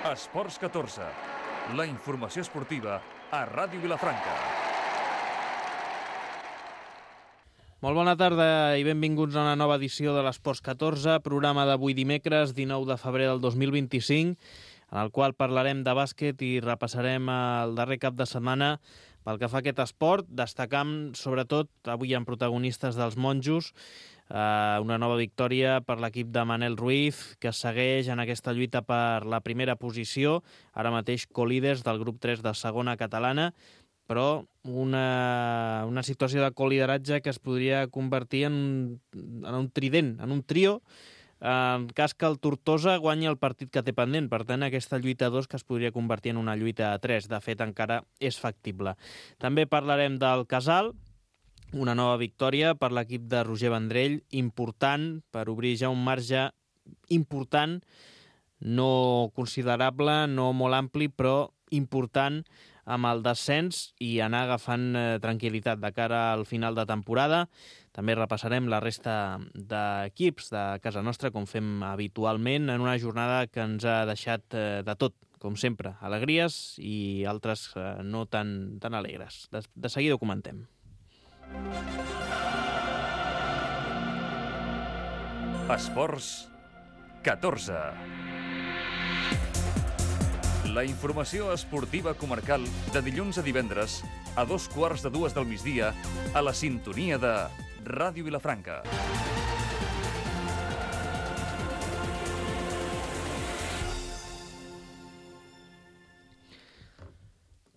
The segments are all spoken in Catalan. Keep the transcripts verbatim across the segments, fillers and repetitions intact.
Esports catorze, la informació esportiva a Ràdio Vilafranca. Molt bona tarda i benvinguts a una nova edició de l'Esports catorze, programa d'avui dimecres, dinou de febrer del dos mil vint-i-cinc, en el qual parlarem de bàsquet i repassarem el darrer cap de setmana pel que fa a aquest esport, destacant sobretot, avui hi ha protagonistes dels monjos, eh, una nova victòria per l'equip de Manel Ruiz, que segueix en aquesta lluita per la primera posició, ara mateix colíders del grup tres de segona catalana, però una, una situació de colideratge que es podria convertir en un, en un trident, en un trio, en cas que el Tortosa guanyi el partit que té pendent. Per tant, aquesta lluita a dos que es podria convertir en una lluita a tres. De fet, encara és factible. També parlarem del Casal, una nova victòria per l'equip de Roger Vendrell, important per obrir ja un marge important, no considerable, no molt ampli, però important amb el descens i anar agafant eh, tranquil·litat de cara al final de temporada. També repassarem la resta d'equips de casa nostra, com fem habitualment, en una jornada que ens ha deixat eh, de tot, com sempre, alegries i altres eh, no tan, tan alegres. De, de seguida ho comentem. Esports catorze. La informació esportiva comarcal de dilluns a divendres a dos quarts de dues del migdia a la sintonia de Ràdio Vilafranca.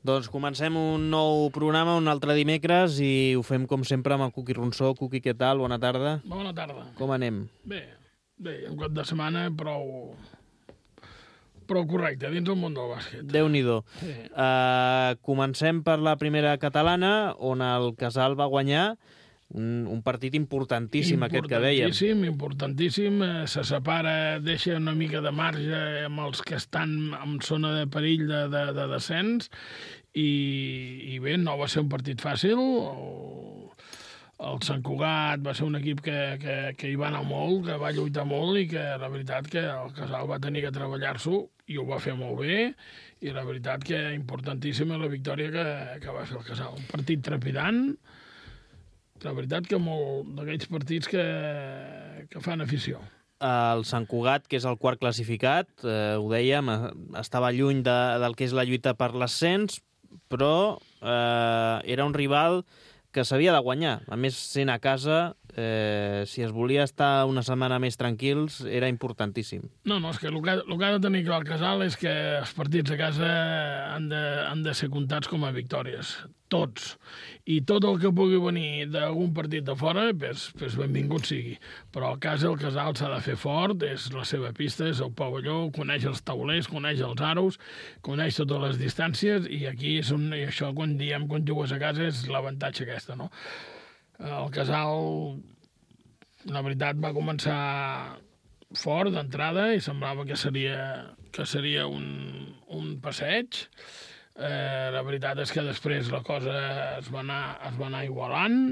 Doncs comencem un nou programa, un altre dimecres, i ho fem com sempre amb el Cuqui Ronsó. Cuqui, què tal? Bona tarda. Bona tarda. Com anem? Bé, bé, un cop de setmana prou... prou correcte, dins el món del bàsquet. Déu-n'hi-do. Sí. Uh, comencem per la primera catalana, on el Casal va guanyar un, un partit importantíssim, aquest que dèiem. Importantíssim, importantíssim. Eh, se separa, deixa una mica de marge amb els que estan en zona de perill de, de, de descens, i, i bé, no va ser un partit fàcil. El, el Sant Cugat va ser un equip que, que, que hi va anar molt, que va lluitar molt, i que la veritat que el Casal va tenir que treballar-s'ho, i ho va fer molt bé, i la veritat que importantíssima la victòria que, que va fer el Casal. Un partit trepidant, la veritat que molt d'aquells partits que, que fan afició. El Sant Cugat, que és el quart classificat, eh, ho dèiem, estava lluny de, del que és la lluita per l'ascens, però eh, era un rival que s'havia de guanyar. A més, sent a casa, eh, si es volia estar una setmana més tranquils, era importantíssim. No, no, és que el que, el que ha de tenir clar el Casal és que els partits a casa han de, han de ser comptats com a victòries. Tots. I tot el que pugui venir d'algun partit de fora, pues, pues benvingut sigui. Però a casa el Casal s'ha de fer fort, és la seva pista, és el pavelló, coneix els taulers, coneix els aros, coneix totes les distàncies, i aquí és un, i això quan diem quan jugues a casa és l'avantatge aquesta, no? El Casal, la veritat, va començar fort d'entrada i semblava que seria, que seria un, un passeig. Eh, la veritat és que després la cosa es va anar, es va anar igualant,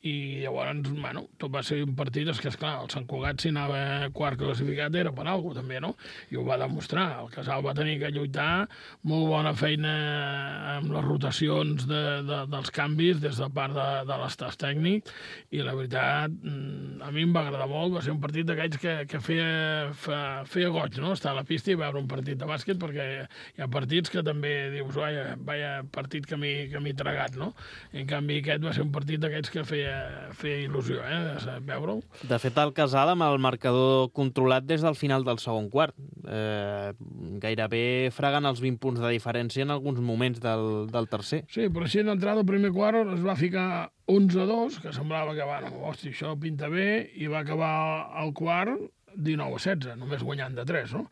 i llavors, bueno, tot va ser un partit, és que, esclar, el Sant Cugat, si anava quart classificat, era per alguna cosa, també, no? I ho va demostrar. El Casal va tenir que lluitar, molt bona feina amb les rotacions de, de, dels canvis des de part de, de l'estaf tècnic, i la veritat, a mi em va agradar molt. Va ser un partit d'aquells que, que feia, fa, feia goig, no?, estar a la pista i veure un partit de bàsquet, perquè hi ha partits que també dius, vaja, vaja partit que m'hi he tragat, no? En canvi, aquest va ser un partit d'aquells que feia feia il·lusió, eh, de veure-ho. De fet, el Casal amb el marcador controlat des del final del segon quart. Eh, gairebé fregant els vint punts de diferència en alguns moments del, del tercer. Sí, però així d'entrada al primer quart es va ficar onze a dos, que semblava que, bueno, hosti, això pinta bé, i va acabar el quart dinou a setze, només guanyant de tres, no?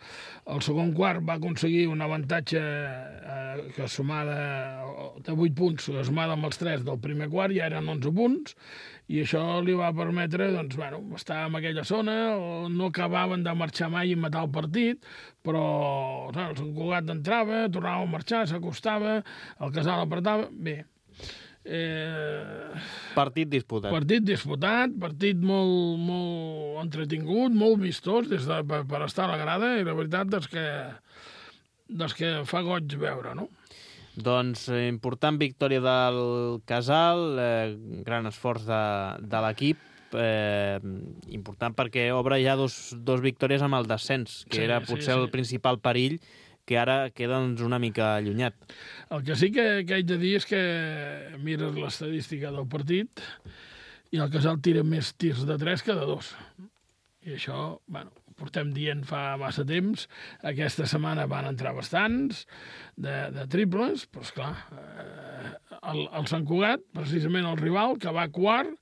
El segon quart va aconseguir un avantatge eh, que sumada de vuit punts, sumada amb els tres del primer quart, ja eren onze punts, i això li va permetre, doncs, bueno, estar en aquella zona, no acabaven de marxar mai i matar el partit, però no, el Sant Cugat entrava, tornava a marxar, s'acostava, el Casal apretava, bé. Eh... Partit disputat. Partit disputat, partit molt, molt entretingut, molt vistós des de, per, per estar a la grada, i la veritat és que dels que fa goig veure, no? Doncs eh, important victòria del Casal, eh, gran esforç de, de l'equip, eh, important perquè obre ja dos, dos victòries amb el descens, que Sí, era sí, potser sí. el principal perill, que ara queda doncs, una mica allunyat. El que sí que, que haig de dir és que mires l'estadística del partit i el Casal tira més tirs de tres que de dos. I això, bueno, ho portem dient fa massa temps. Aquesta setmana van entrar bastants de, de triples, però esclar, eh, el, el Sant Cugat, precisament el rival, que va quart,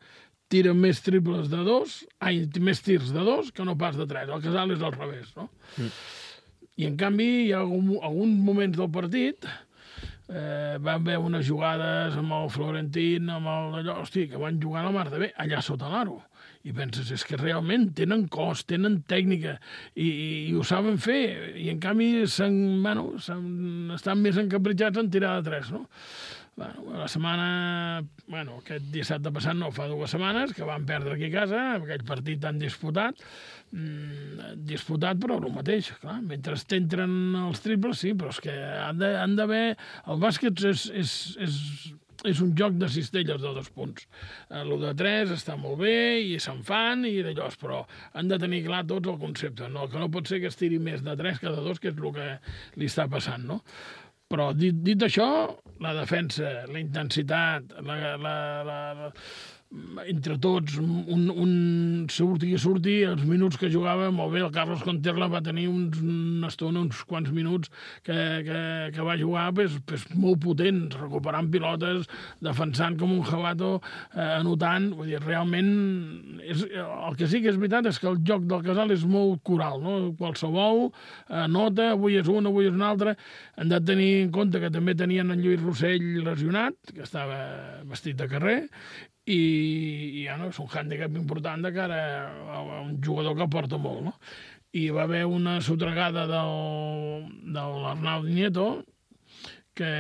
tira més triples de dos, ai, més tirs de dos que no pas de tres. El Casal és al revés, no? Mm. I, en canvi, hi ha algun, alguns moments del partit eh, van haver unes jugades amb el Florentín, amb el allò, hosti, que van jugar a la mar de bé, allà sota l'aro. I penses, és que realment tenen cos, tenen tècnica, i, i, i ho saben fer, i en canvi s'han, bueno, s'han, estan més encapritxats en tirar de tres, no? Bueno, la setmana, bueno, aquest dissabte passat, no, fa dues setmanes, que van perdre aquí a casa, aquell partit tan disputat, mmm, disputat però el mateix, clar, mentre t'entren els triples, sí, però és que han de, han d'haver... El bàsquet és, és, és, és un joc de cistelles de dos punts. El de tres està molt bé i se'n fan i d'allò, però han de tenir clar tots el concepte. No, que no pot ser que es tiri més de tres que de dos, que és el que li està passant, no? Però dit, dit això, la defensa, la intensitat, la, la, la, la, entre tots, un, un surti i surti, els minuts que jugava molt bé, el Carlos Conterla va tenir uns, una estona, uns quants minuts que, que, que va jugar pues, pues, molt potents, recuperant pilotes, defensant com un jabato, eh, anotant, vull dir, realment, és, el que sí que és veritat és que el joc del Casal és molt coral, no? Qualsevol eh, nota, avui és una, avui és una altra, han de tenir en compte que també tenien en Lluís Rossell lesionat, que estava vestit de carrer, i, i ja no, és un hàndicap important de cara a un jugador que porta molt, no? I va haver una sotregada del, de l'Arnau Nieto, que,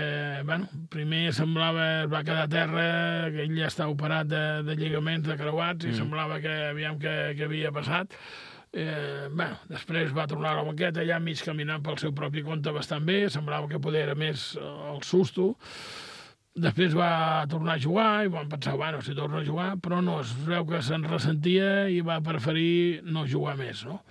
bueno, primer semblava, es va quedar a terra, que ell ja està operat de, de lligaments, de creuats, i mm. semblava que, aviam, que, que havia passat. Eh, bueno, després va tornar a la banqueta, allà mig caminant pel seu propi compte bastant bé, semblava que poder era més el susto. Després va tornar a jugar i van pensar, bueno, si torna a jugar, però no, es veu que se'n ressentia i va preferir no jugar més, no?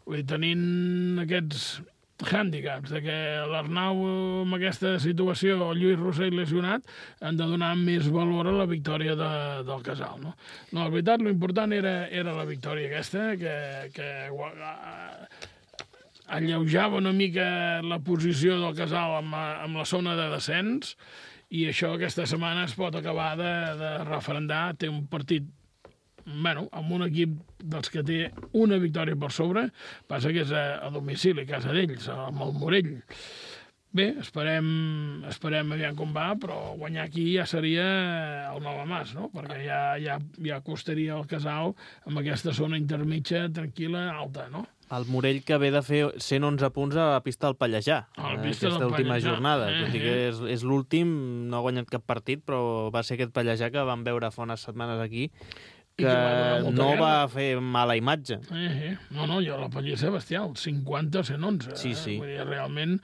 Vull dir, tenint aquests hàndicaps de que l'Arnau amb aquesta situació, el Lluís Rossell lesionat, han de donar més valor a la victòria de, del Casal, no? No, la veritat, l'important era, era la victòria aquesta, que, que alleujava una mica la posició del Casal amb, amb la zona de descens, i això aquesta setmana es pot acabar de, de referendar. Té un partit, bueno, amb un equip dels que té una victòria per sobre, passa que és a, a domicili, a casa d'ells, amb el Morell. Bé, esperem, esperem aviam com va, però guanyar aquí ja seria el Malamàs, no? Perquè ja, ja, ja costaria el Casal amb aquesta zona intermitja, tranquil·la, alta, no? El Morell que ve de fer cent onze punts a la pista del Pallejà, a la pista aquesta del última Pallejà. jornada. Eh, Tot i que és, és l'últim, no ha guanyat cap partit, però va ser aquest Pallejà que vam veure fa unes setmanes aquí, que, que va no guerra. va fer mala imatge. Eh, eh. No, no, jo la Pallissa bestial, cinquanta a cent onze. Sí, sí. Eh? Vull dir, realment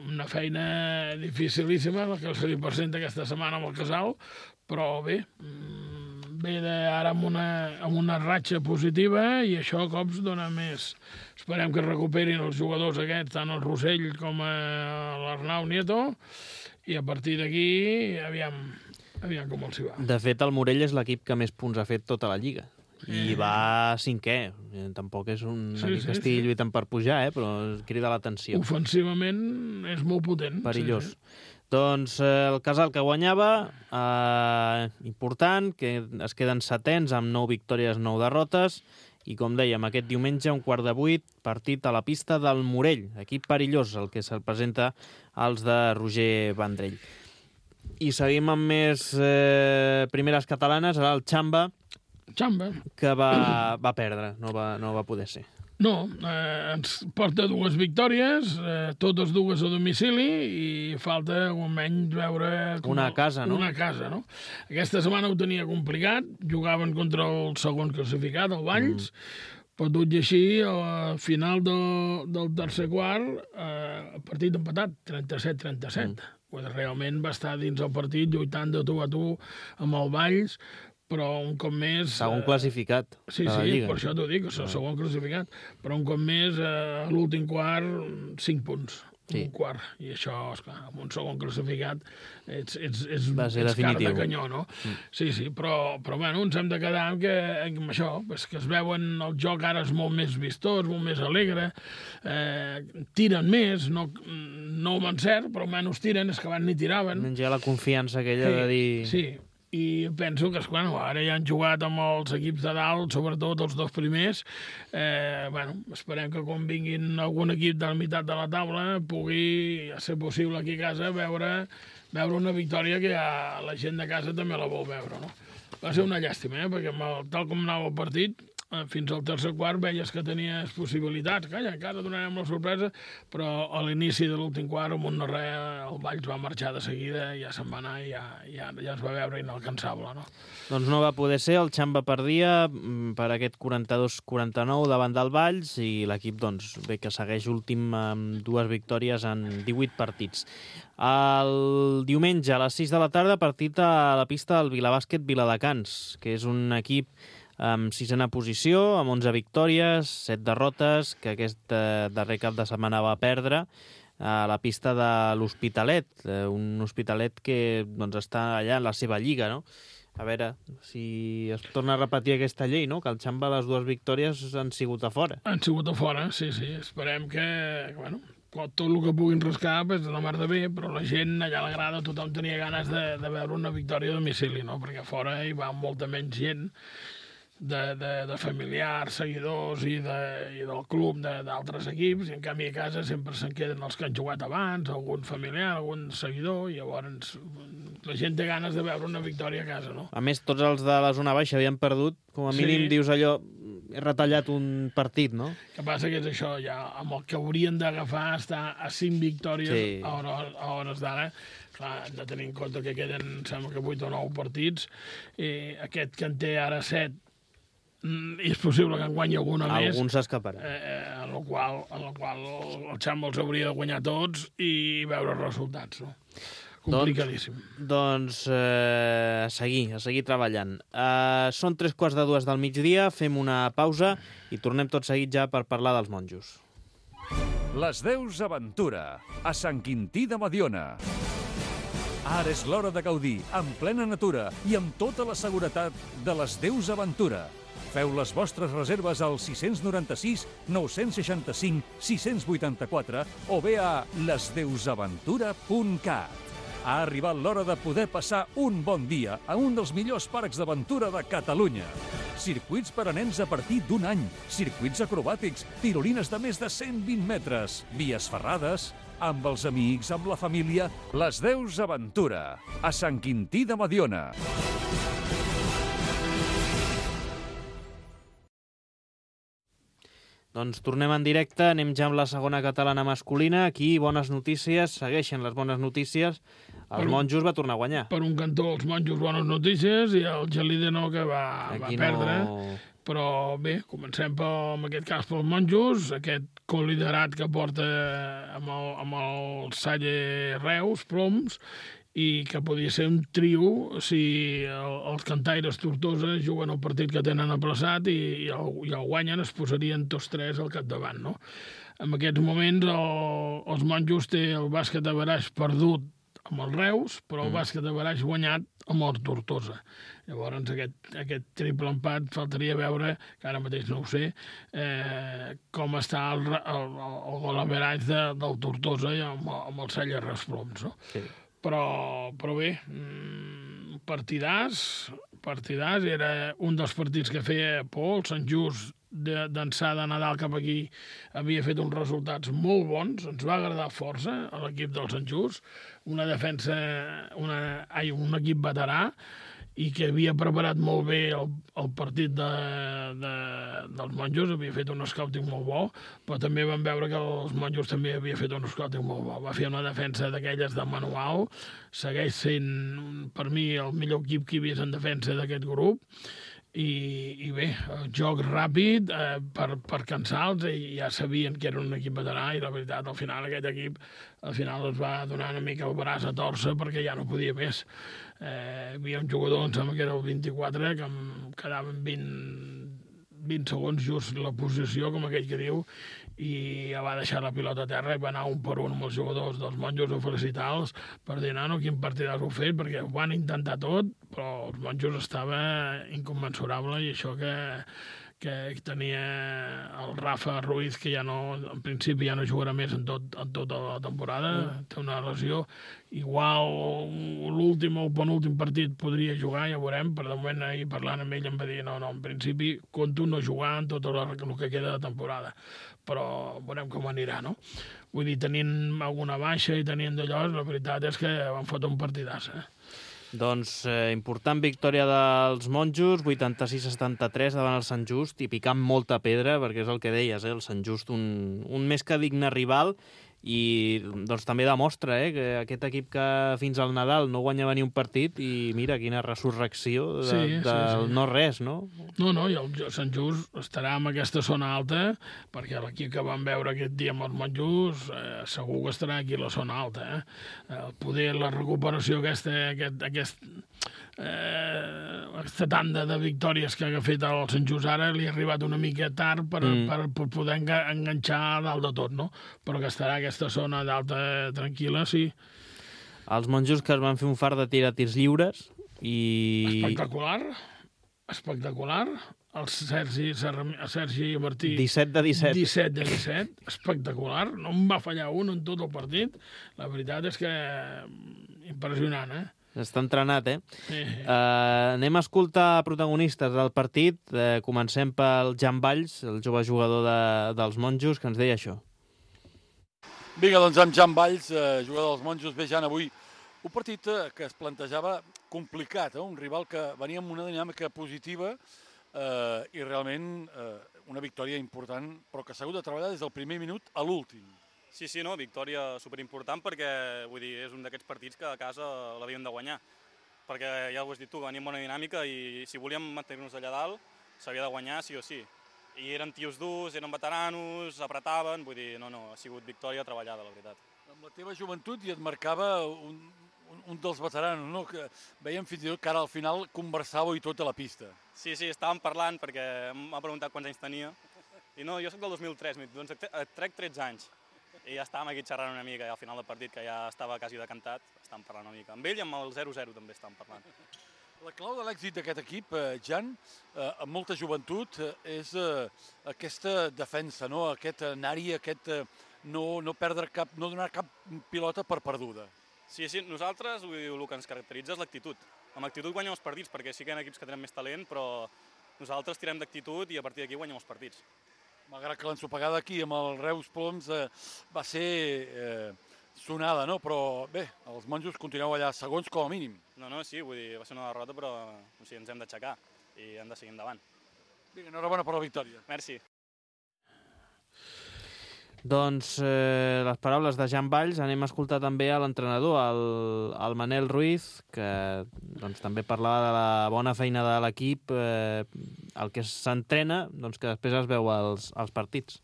una feina dificilíssima, la que se li presenta aquesta setmana amb el Casal, però bé, ve de, ara amb una, amb una ratxa positiva i això a cops dona més. Esperem que recuperin els jugadors aquests, tant el Rossell com l'Arnau Nieto, i a partir d'aquí, aviam, aviam com els hi va. De fet, el Morell és l'equip que més punts ha fet tota la Lliga. I Eh. va cinquè. Tampoc és un Sí, equip sí, que estigui sí. lluitant per pujar, eh? Però crida l'atenció. Ofensivament és molt potent. Perillós. Sí, sí. Doncs eh, el Casal que guanyava, eh, important, que es queden setens amb nou victòries, nou derrotes, i com dèiem, aquest diumenge, un quart de vuit, partit a la pista del Morell, equip perillós, el que se'l presenta als de Roger Vendrell. I seguim amb més eh, primeres catalanes, ara el Xamba, Xamba. que va, va perdre, no va, no va poder ser. No, eh, ens porta dues victòries, eh, totes dues a domicili, i falta almenys veure... Com Una a casa, no? Una a casa, no? Aquesta setmana ho tenia complicat, jugaven contra el segon classificat, el Valls, mm. Perdut i així, al final del, del tercer quart, eh, partit empatat, trenta-set trenta-set. Mm. Pues realment va estar dins el partit lluitant de tu a tu amb el Valls, però un cop més... Segon classificat. Sí, sí, per això t'ho dic, el segon classificat. Però un cop més, a l'últim quart, cinc punts. Sí. Un quart. I això, esclar, amb un segon classificat, ets, ets, ets, ets cara de canyó, no? Mm. Sí, sí, però, però bueno, ens hem de quedar amb, que, amb això, pues, que es veuen, el joc ara és molt més vistós, molt més alegre, eh, tiren més, no, no ho encert, però almenys tiren, és que abans ni tiraven. Menys hi ha la confiança aquella sí, de dir... Sí, i penso que, bueno, ara ja han jugat amb els equips de dalt, sobretot els dos primers. Eh, bueno, esperem que quan vinguin algun equip de la meitat de la taula pugui, a ser possible aquí a casa, veure, veure una victòria que ja la gent de casa també la vol veure, no? Va ser una llàstima, eh? Perquè tal com anava el partit, fins al tercer quart veies que tenies possibilitats. Calla, encara donarem la sorpresa, però a l'inici de l'últim quart, amb un no res, el Valls va marxar de seguida, ja se'n va anar i ja, ja, ja es va veure inalcançable, no? Doncs no va poder ser, el Xamba perdia per aquest quaranta-dos quaranta-nou davant del Valls i l'equip, doncs, bé que segueix últim amb dues victòries en divuit partits. El diumenge a les sis de la tarda, partit a la pista del Vilabàsquet Viladecans, que és un equip amb sisena posició, amb onze victòries, set derrotes, que aquest eh, darrer cap de setmana va perdre a la pista de l'Hospitalet, eh, un Hospitalet que doncs, està allà en la seva lliga, no? A veure si es torna a repetir aquesta llei, no? Que el Xamba les dues victòries han sigut a fora. Han sigut a fora, sí, sí. Esperem que, bueno, tot el que puguin rascar és de la mar de bé, però la gent allà a la grada, tothom tenia ganes de, de veure una victòria a domicili, no? Perquè a fora hi va molta menys gent, de, de, de familiars, seguidors i, de, i del club d'altres equips, i en canvi a casa sempre se'n queden els que han jugat abans, algun familiar, algun seguidor, i llavors la gent té ganes de veure una victòria a casa, no? A més, tots els de la zona baixa havien perdut, com a mínim sí. Dius allò, he retallat un partit, no? El que passa que és això, ja amb el que haurien d'agafar està a cinc victòries sí. a, hores, a hores d'ara. Clar, hem de tenir en compte que queden, sembla que vuit o nou partits, eh, aquest que en té ara set, és possible que en guanyi alguna Algun més. Algun s'escaparà. Eh, en el qual, en el qual el Xamba els hauria de guanyar tots i veure els resultats, no? Complicadíssim. Doncs, doncs eh, a seguir, a seguir treballant. Eh, són tres quarts de dues del migdia, fem una pausa i tornem tot seguit ja per parlar dels monjos. Les Deus Aventura, a Sant Quintí de Mediona. Ara és l'hora de gaudir, en plena natura i amb tota la seguretat de les Deus Aventura. Feu les vostres reserves al sis nou sis, nou sis cinc, sis vuit quatre o bé a les deus aventura punt cat. Ha arribat l'hora de poder passar un bon dia a un dels millors parcs d'aventura de Catalunya. Circuits per a nens a partir d'un any, circuits acrobàtics, tirolines de més de cent vint metres, vies ferrades, amb els amics, amb la família, les Deus Aventura, a Sant Quintí de Mediona. Doncs tornem en directe, anem ja amb la segona catalana masculina. Aquí, bones notícies, segueixen les bones notícies. El per Monjos va tornar a guanyar. Per un cantó, els Monjos, bones notícies, i el Gelide no, que va, va perdre. No... Però bé, comencem per, en aquest cas pels Monjos, aquest coliderat que porta amb el, amb el Salle Reus, Ploms, i que podia ser un trio si el, els cantaires Tortosa juguen el partit que tenen aplaçat i, i, el, i el guanyen, es posarien tots tres al capdavant, no? En aquests moments el, els Monjos té el bàsquet de Baraix perdut amb el Reus, però el mm. bàsquet de Baraix guanyat amb el Tortosa. Llavors aquest, aquest triple empat faltaria veure, que ara mateix no ho sé, eh, com està el, el, el gol a Baraix de, del Tortosa i amb, amb el Salle Reus Ploms, no? Sí. Però, però bé, partidàs, partidàs, era un dels partits que feia por, el Sant Just d'ençà de Nadal cap aquí havia fet uns resultats molt bons, ens va agradar força a l'equip del Sant Just, una defensa, una, ai, un equip veterà, i que havia preparat molt bé el, el partit de, de, dels Monjos, havia fet un scouting molt bo, però també vam veure que els Monjos també havia fet un scouting molt bo. Va fer una defensa d'aquelles de manual, segueix sent, per mi, el millor equip que hi havia en defensa d'aquest grup, i, i bé, joc ràpid eh, per, per cansar-los, i ja sabien que era un equip veterà, i la veritat, al final aquest equip al final es va donar una mica el braç a torça perquè ja no podia més. Eh, hi havia un jugador, em sembla que era el vint-i-quatre, que em quedaven vint, vint segons just la posició, com aquell que diu, i ja va deixar la pilota a terra i va anar un per un amb els jugadors dels monjos a felicitar-los per dir, nano, quin partidàs heu fet, perquè ho van intentar tot, però els monjos estava incommensurable, i això que, que tenia el Rafa Ruiz, que ja no, en principi ja no jugarà més en, tot, en tota la temporada, mm. té una lesió. Igual l'últim o el penúltim partit podria jugar, ja veurem, però de moment ahir parlant amb ell em va dir no, no, en principi conto no jugar en tot el que queda de temporada, però veurem com anirà, no? Vull dir, tenint alguna baixa i tenint d'allò, la veritat és que van fotre un partidàs, eh? Doncs eh, important victòria dels monjos, vuitanta-sis a setanta-tres davant el Sant Just, i picant molta pedra, perquè és el que deies, eh, el Sant Just, un, un més que digne rival, i doncs també demostra eh, que aquest equip que fins al Nadal no guanyava ni un partit, i mira quina resurrecció de, sí, sí, del sí. no res, no? No, no, i el Sant Just estarà en aquesta zona alta, perquè l'equip que vam veure aquest dia amb els monjos eh, segur que estarà aquí a la zona alta. Eh? El poder, la recuperació aquesta, aquest, aquest, eh, aquesta tanda de victòries que ha fet el Sant Just ara li ha arribat una mica tard per, mm. per, per poder enganxar a dalt de tot, no? Però que estarà aquesta zona d'alta tranquil·la, sí. Els monjos que es van fer un fart de tirar tirs lliures i... Espectacular, espectacular. El Sergi, el Sergi Martí... disset de disset. disset de disset, espectacular. No em va fallar un en tot el partit. La veritat és que impressionant, eh? Està entrenat, eh? Sí. Uh, anem a escoltar protagonistes del partit. Uh, comencem pel Jan Valls, el jove jugador de, dels monjos, que ens deia això. Vinga, doncs amb Jan Valls, eh, jugador dels monjos. Bé, Jan, avui un partit eh, que es plantejava complicat, eh? Un rival que venia amb una dinàmica positiva eh, i realment eh, una victòria important, però que s'ha hagut de treballar des del primer minut a l'últim. Sí, sí, no, victòria superimportant perquè, vull dir, és un d'aquests partits que a casa l'havíem de guanyar. Perquè ja ho has dit tu, veníem amb bona dinàmica i si volíem mantenir-nos allà dalt s'havia de guanyar sí o sí. I eren tios durs, eren veteranos, apretaven, vull dir, no, no, ha sigut victòria treballada, la veritat. Amb la teva joventut i et marcava un, un, un dels veteranos, no? Que veiem fins i tot que ara al final conversàveu i tot a la pista. Sí, sí, estàvem parlant perquè m'ha preguntat quants anys tenia. I no, jo soc del dos mil tres, doncs et trec tretze anys. I ja estàvem aquí xerrant una mica, i al final del partit, que ja estava quasi decantat, estàvem parlant una mica. Amb ell i amb el zero zero també estàvem parlant. La clau de l'èxit d'aquest equip, eh, Jan, eh, amb molta joventut, eh, és eh, aquesta defensa, no? Aquest anar-hi, aquest eh, no, no perdre cap, no donar cap pilota per perduda. Sí, sí, nosaltres el que ens caracteritza és l'actitud. Amb actitud guanyem els partits, perquè sí que hi ha equips que tenen més talent, però nosaltres tirem d'actitud i a partir d'aquí guanyem els partits. Malgrat que l'ensopegada aquí amb el Reus Ploms eh, va ser eh, sonada, no? Però bé, els monjos continueu allà segons com a mínim. No, no, sí, vull dir, va ser una derrota, però o sigui, ens hem d'aixecar i hem de seguir endavant. Vinga, enhorabona per la victòria. Merci. Doncs eh, les paraules de Jan Valls. Anem a escoltar també a l'entrenador, el, el Manel Ruiz, que doncs, també parlava de la bona feina de l'equip, eh, el que s'entrena, doncs, que després es veu als, als partits.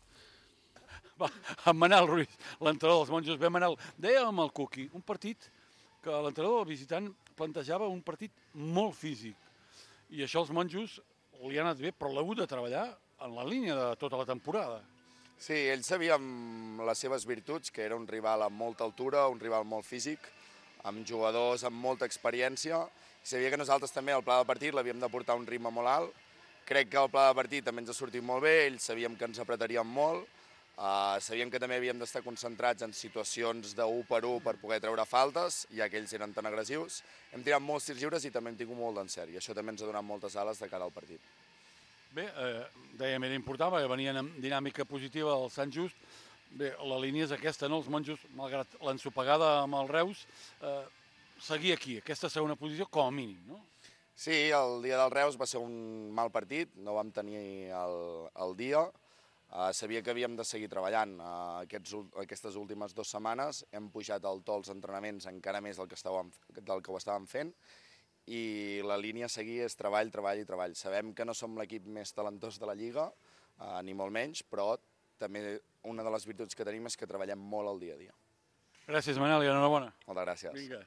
Va, en Manel Ruiz, l'entrenador dels monjos. Bé, Manel, deia amb el Cuqui, un partit que l'entrenador del visitant plantejava un partit molt físic. I això els monjos li ha anat bé, però l'ha hagut de treballar en la línia de tota la temporada. Sí, ell sabia amb les seves virtuts, que era un rival amb molta altura, un rival molt físic, amb jugadors amb molta experiència. Sabia que nosaltres també al pla de partit l'havíem de portar a un ritme molt alt. Crec que el pla de partit també ens ha sortit molt bé, ells sabíem que ens apretaríem molt, uh, sabíem que també havíem d'estar concentrats en situacions de u per u per poder treure faltes, ja que ells eren tan agressius. Hem tirat molts tirs lliures i també hem tingut molt d'encert, i això també ens ha donat moltes ales de cara al partit. Bé, eh, dèiem, era important, perquè venien amb dinàmica positiva del Sant Just. Bé, la línia és aquesta, no? Els monjos, malgrat l'ensopegada amb el Reus, eh, seguir aquí, aquesta segona posició, com a mínim, no? Sí, el dia del Reus va ser un mal partit, no vam tenir el, el dia. Uh, sabia que havíem de seguir treballant. Uh, aquests, aquestes últimes dues setmanes hem pujat el to als entrenaments encara més del que, estàvem, del que ho estàvem fent, i la línia a seguir és treball, treball i treball. Sabem que no som l'equip més talentós de la Lliga, eh, ni molt menys, però també una de les virtuts que tenim és que treballem molt al dia a dia. Gràcies, Manel, i enhorabona. Moltes gràcies. Vinga.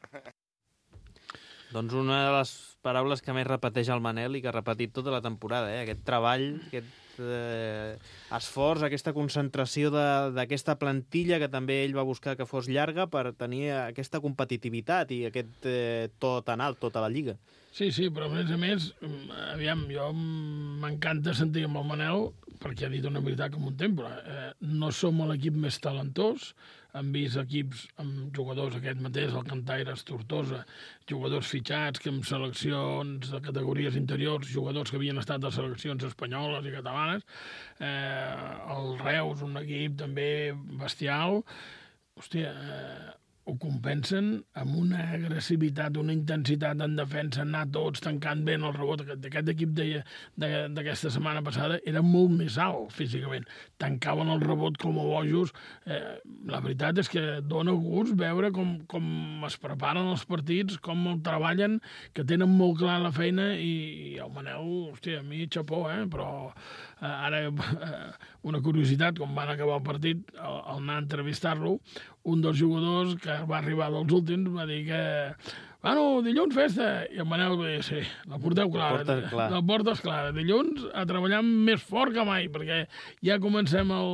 Doncs una de les paraules que més repeteix el Manel i que ha repetit tota la temporada, eh? Aquest treball, aquest eh, esforç, aquesta concentració d'aquesta plantilla que també ell va buscar que fos llarga per tenir aquesta competitivitat i aquest eh, to tan alt, tota la Lliga. Sí, sí, però a més a més, aviam, jo m'encanta sentir amb el Manel perquè ha dit una veritat com un temple. Eh, no som l'equip més talentós, hem vist equips amb jugadors aquest mateix, el Cantaires, Tortosa, jugadors fitxats que amb seleccions de categories interiors, jugadors que havien estat a seleccions espanyoles i catalanes, eh, el Reus, un equip també bestial, hòstia, eh, ho compensen amb una agressivitat, una intensitat en defensa, anar tots tancant bé en el rebot. Aquest equip d'aquesta setmana passada era molt més alt físicament. Tancaven el rebot com a bojos. Eh, la veritat és que dona gust veure com, com es preparen els partits, com el treballen, que tenen molt clar la feina i, i el Manel, hòstia, a mi xapó, eh? Però eh, ara eh, una curiositat, com van acabar el partit, al, al anar a entrevistar-lo, un dels jugadors que va arribar dels últims va dir que bueno, dilluns festa, i el Manel va dir sí, la porteu clara, la porta, clar. la porta és clara, dilluns a treballar més fort que mai, perquè ja comencem el,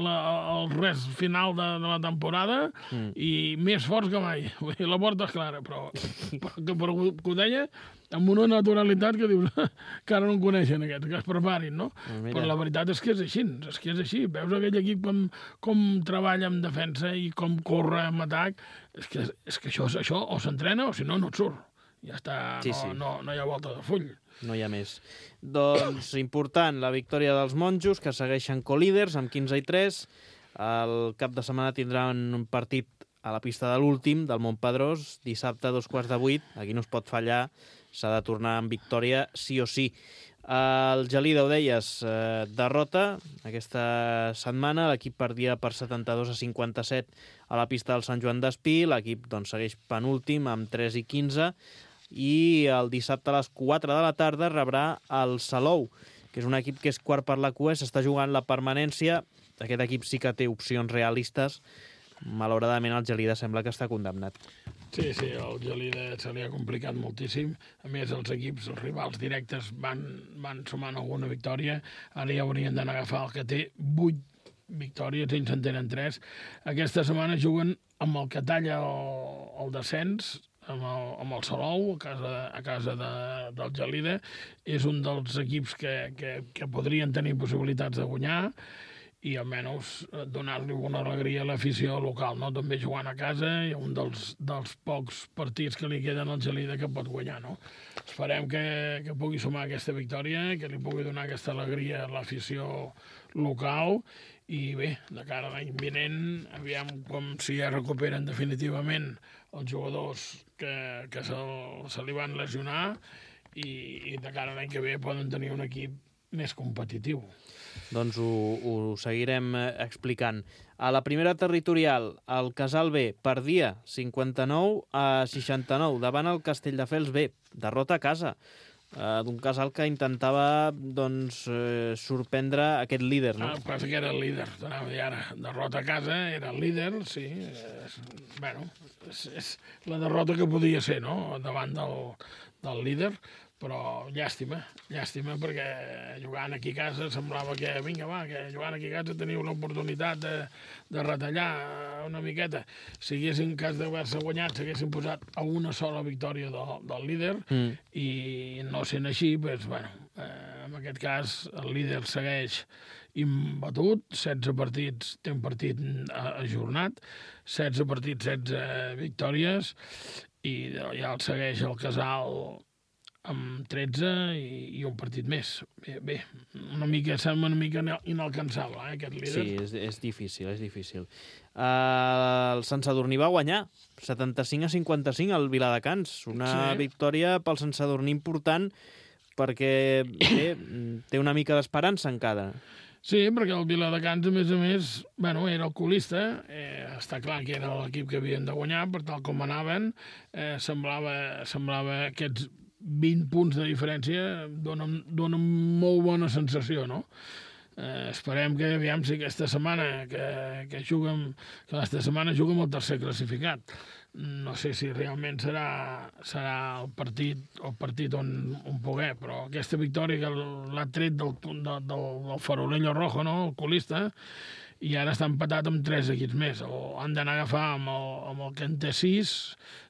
la, el res final de, de la temporada mm. i més forts que mai, la porta és clara, però, però, però que ho deia amb una naturalitat que dius que ara no en coneixen aquests, que es preparin, no? Mira. Però la veritat és que és així, és que és així. Veus aquell equip com, com treballa en defensa i com corre en atac, és que, és que això, això o s'entrena o si no, no et surt. Ja està, sí, no, sí. No, no hi ha volta de full. No hi ha més. Doncs important, la victòria dels monjos, que segueixen colíders amb quinze i tres. El cap de setmana tindran un partit a la pista de l'últim, del Montpedrós, dissabte a dos quarts de vuit. Aquí no es pot fallar, s'ha de tornar amb victòria sí o sí. El Gelida, ho deies, eh, derrota aquesta setmana. L'equip perdia per setanta-dos a cinquanta-set a la pista del Sant Joan d'Espí. L'equip doncs, segueix penúltim amb tres i quinze. I el dissabte a les quatre de la tarda rebrà el Salou, que és un equip que és quart per la cua, s'està jugant la permanència. Aquest equip sí que té opcions realistes. Malauradament el Gelida sembla que està condemnat. Sí, sí, el Gelida se li ha complicat moltíssim. A més, els equips, els rivals directes van, van sumant alguna victòria. Ara ja haurien d'anar a agafar el que té vuit victòries, ells en tenen tres. Aquesta setmana juguen amb el que talla el, el descens, amb el, amb el Salou, a casa, a casa de, del Gelida. És un dels equips que, que, que podrien tenir possibilitats de guanyar i almenys donar-li una alegria a l'afició local, no? També jugant a casa i un dels, dels pocs partits que li queden al Gelida que pot guanyar, no? Esperem que, que pugui sumar aquesta victòria, que li pugui donar aquesta alegria a l'afició local i bé, de cara a l'any vinent, aviam com si ja recuperen definitivament els jugadors que, que se, se li van lesionar i, i de cara a l'any que ve poden tenir un equip més competitiu. Doncs ho, ho seguirem explicant. A la primera territorial, el Casal B perdia cinquanta-nou a seixanta-nou davant el Castelldefels B. Derrota a casa eh, d'un Casal que intentava doncs, eh, sorprendre aquest líder. No? Ah, passa que era el líder, t'anava a dir ara. Derrota a casa, era el líder, sí. És, bueno, és, és la derrota que podia ser, no?, davant del, del líder. Però llàstima, llàstima, perquè jugant aquí a casa semblava que, vinga, va, que jugant aquí a casa teniu l'oportunitat de, de retallar una miqueta. Si haguessin, en cas d'haver-se guanyat, s'haguessin posat a una sola victòria del, del líder, mm. i no sent així, doncs, bueno, eh, en aquest cas el líder segueix imbatut, setze partits, té un partit ajornat, setze partits, setze victòries, i ja el segueix el Casal amb tretze i, i un partit més. Bé, bé, una mica, sembla una mica inalcançable, eh, aquest líder. Sí, és, és difícil, és difícil. Uh, el Sant Sadurní va guanyar setanta-cinc a cinquanta-cinc al Viladecans. Una sí. victòria pel Sant Sadurní important perquè bé, té una mica d'esperança encara. Sí, perquè el Viladecans, a més a més, bueno, era el colista, eh, està clar que era l'equip que havien de guanyar, per tal com anaven, eh, semblava, semblava aquests vint punts de diferència dona, dona molt bona sensació, no? Eh, esperem que, aviam, si aquesta setmana que, que juguem, que aquesta setmana juguem el tercer classificat. No sé si realment serà, serà el partit, el partit on, on poder, però aquesta victòria que l'ha tret del, del, del, del Farolillo Rojo, no?, el colista, i ara està empatat amb tres equips més. O han d'anar a agafar amb el, amb el que en té sis,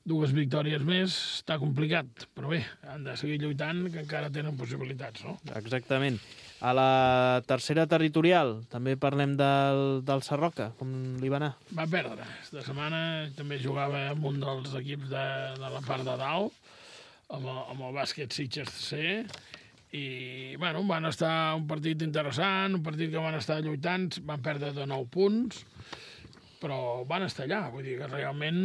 dues victòries més, està complicat. Però bé, han de seguir lluitant, que encara tenen possibilitats, no? Exactament. A la tercera territorial també parlem del, del Sarroca, com li va anar? Va perdre. Esta setmana també jugava amb un dels equips de, de la part de dalt, amb el, amb el bàsquet Sitges C, i bueno, van estar un partit interessant, un partit que van estar lluitant, van perdre de nou punts, però van estar allà. Vull dir que realment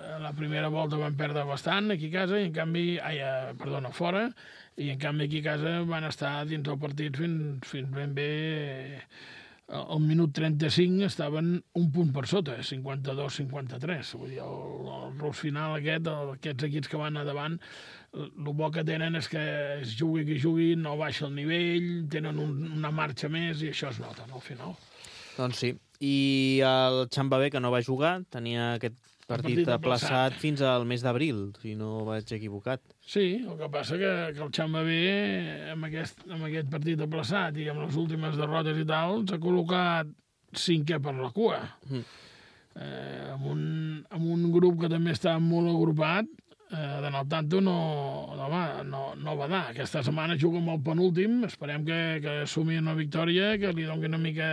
a la primera volta van perdre bastant aquí a casa, i en canvi, ai, perdona, fora, i en canvi aquí a casa van estar dins del partit fins, fins ben bé al minut trenta-cinc estaven un punt per sota, cinquanta-dos cinquanta-tres. Vull dir, el, el rus final aquest, el, aquests equips que van a davant, el bo que tenen és que es jugui qui jugui, no baixa el nivell, tenen un, una marxa més i això es nota, no, al final. Doncs sí. I el Xambabé, que no va jugar, tenia aquest partit, partit aplaçat fins al mes d'abril, si no vaig equivocat. Sí, el que passa que, que el Xambabé, amb aquest, amb aquest partit aplaçat i amb les últimes derrotes i tal, s'ha col·locat cinquè per la cua. Mm. Eh, amb, un, amb un grup que també està molt agrupat, eh, de nou tanto no, no, no, no va dar. Aquesta setmana juga amb el penúltim, esperem que, que assumi una victòria, que li doni una mica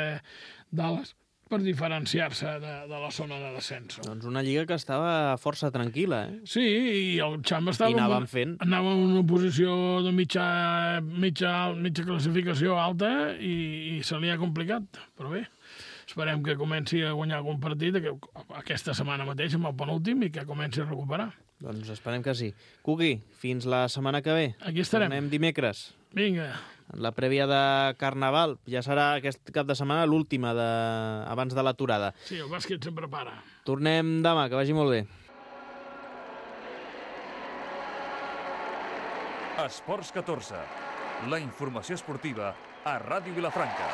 d'ales per diferenciar-se de, de la zona de descens. Doncs una lliga que estava força tranquil·la, eh? Sí, i el Xamba estava... I anàvem fent. Anava en una posició de mitja, mitja, mitja classificació alta i, i se li ha complicat, però bé, esperem que comenci a guanyar algun partit que, aquesta setmana mateix amb el penúltim i que comenci a recuperar. Doncs esperem que sí. Cuqui, fins la setmana que ve. Aquí estarem. Tornem dimecres. Vinga. En la prèvia de Carnaval. Ja serà aquest cap de setmana l'última de... abans de l'aturada. Sí, el bàsquet sempre para. Tornem demà, que vagi molt bé. Esports catorze. La informació esportiva a Ràdio Vilafranca.